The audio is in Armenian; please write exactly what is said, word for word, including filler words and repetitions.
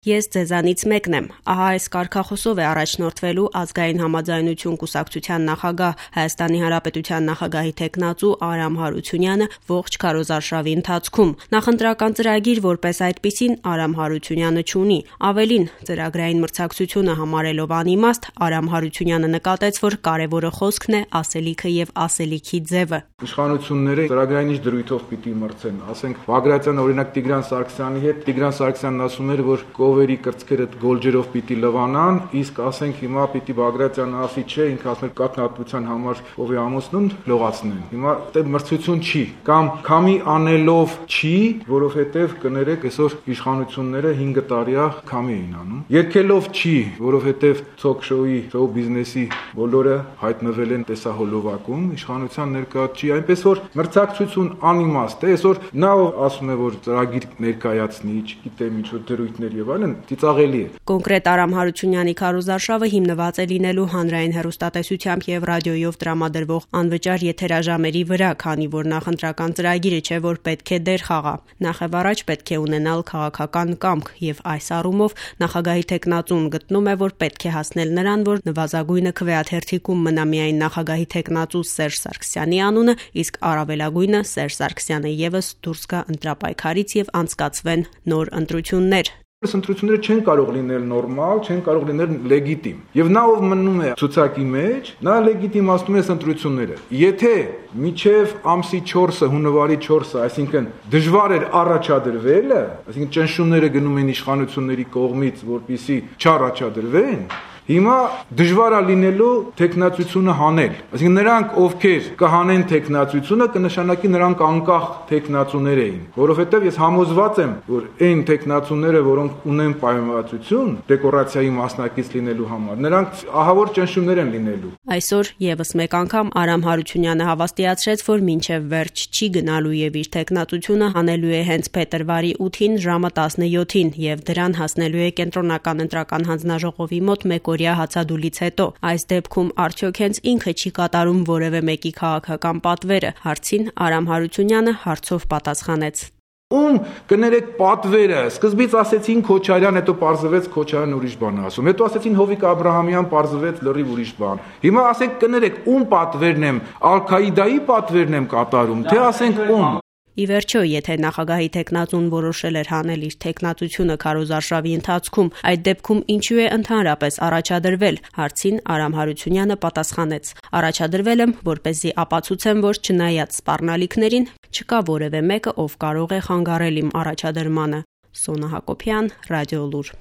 Ես ձեզանից մեկն եմ, ահա այս կարգախոսով է առաջնորդվելու Ազգային համաձայնություն կուսակցության նախագահ Հայաստանի Հանրապետության նախագահի թեկնածու Արամ Հարությունյանը ողջ քարոզարշավի ընթացքում։ Նախընտրական ծրագիր որպես այդպիսին Արամ Հարությունյանը չունի։ Ավելին, ծրագրային մրցակցությունը համարելով անիմաստ, Արամ Հարությունյանը նկատեց, որ կարևորը խոսքն է, ասելիքը եւ ասելիքի ձևը։ Իշխանությունները ծրագրային ինչ դրույթով պիտի մրցեն, ասենք Բագրատյան օրինակ Տիգրան Սարգսյանի հետ, Տիգրան Սարգսյանն ասում էր, որ Կովերի կրծքերը գոլջերով պիտի լվանան, իսկ ասենք հիմա պիտի Բագրատյանը ասի չէ, ինքը ասում է կաթնատվության համար ով է ամուսնուն լողացնեն։ Հիմա դե մրցություն չի, կամ քամի անելով չի, որովհետև կներեք այսօր իշխանությունները հինգ տարիա քամի էին անում։ Երկելով չի, որովհետև թոք-շոուի, շոու բիզնեսի բոլորը հայտնվել են տեսահոլովակում, իշխանության ներկայացուցիչ, այնպես որ մրցակցություն անիմաստ է, այսօր նա ասում է, որ ծրագիր ներկայացնի, չգիտեմ ինչ որ դրույթներ եւ այլն, ծիծաղելի է։ Կոնկրետ Արամ Հարությունյանի քարոզարշավը հիմնված է լինելու հանրային հեռուստատեսությամբ եւ ռադիոյով տրամադրվող անվճար եթերաժամերի վրա, քանի որ նախընտրական ծրագիրը չէ, որ պետք է դեր խաղա։ Նախևառաջ պետք է ունենալ քաղաքական կամք եւ այս առումով նախագահի թեկնածուն գտնում է, որ պետք է հասնել նրան, որ նվազագույնը քվեաթերթիկում մնա միայն նախագահի թեկնածու Սերժ Սարգսյանի անունը, իսկ առավելագույնը Սերժ Սարգսյանը եւս դուրս գա ընտրապայքարից եւ անցկացվեն նոր ընտրություններ։ Այս ընտրությունները չեն կարող լինել նորմալ, չեն կարող լինել լեգիտիմ։ Եվ նա ով մնում է ցուցակի մեջ, նա լեգիտիմացնում է այս ընտրությունները։ Եթե միջև ամսի չորսը, հունվարի չորսը, այսինքն դժվար էր առաջադրվելը, այսինքն ճնշումները գնում են իշխանությունների կողմից, որպեսզի չառաջադրվեն, հիմա դժվար է լինելու տեխնացությունը հանել։ Այսինքն նրանք, ովքեր կհանեն տեխնացությունը, կնշանակի նրանք անկախ տեխնացուներ էին, որովհետև ես համոզված եմ, որ այն տեխնացուները, որոնք ունեն պայմանավորություն դեկորացիայի մասնակից լինելու համար, նրանք ահավոր ճնշումներ են լինելու։ Այսօր եւս մեկ անգամ Արամ Հարությունյանը հավաստիացրեց, որ մինչև վերջ չի գնալու եւ իր տեխնացությունը հանելու է հենց փետրվարի ութին ժամը տասնյոթին եւ դրան հասնելու է կենտրոնական ընտրական հանձնաժողովի մոտ մեկ օրյա հացադուլից հետո։ Այս դեպքում արդյոք հենց ինքը չի կատարում որևէ մեկի քաղաքական պատվերը։ Հարցին Արամ Հարությունյանը հարցով պատասխանեց. Ում կներեք պատվերը, սկզբից ասեցին Քոչարյան, հետո պարզվեց Քոչարյան ուրիշ բան է ասում, հետո ասեցին Հովիկ Աբրահամյան, պարզվեց լրիվ ուրիշ բան։ Հիմա ասենք կներեք ում պատվերն եմ, Ալ-Քաիդայի պատվերն եմ կատարում, թե ասենք ում։ Ի վերջո, եթե նախագահի թեկնածուն որոշել էր հանել իր թեկնածությունը քարոզարշավի ընթացքում, այդ դեպքում ինչու է ընդհանրապես առաջադրվել, հարցին Արամ Հարությունյանը պատասխանեց. առաջադրվել եմ, որպեսզի ապացուցեմ, որ չնայած սպառնալիքներին, չկա որևէ մեկը, ով կարող է խանգարել իմ առաջադրմանը։ Սոնա Հակոբյան, Ռադիոլուր։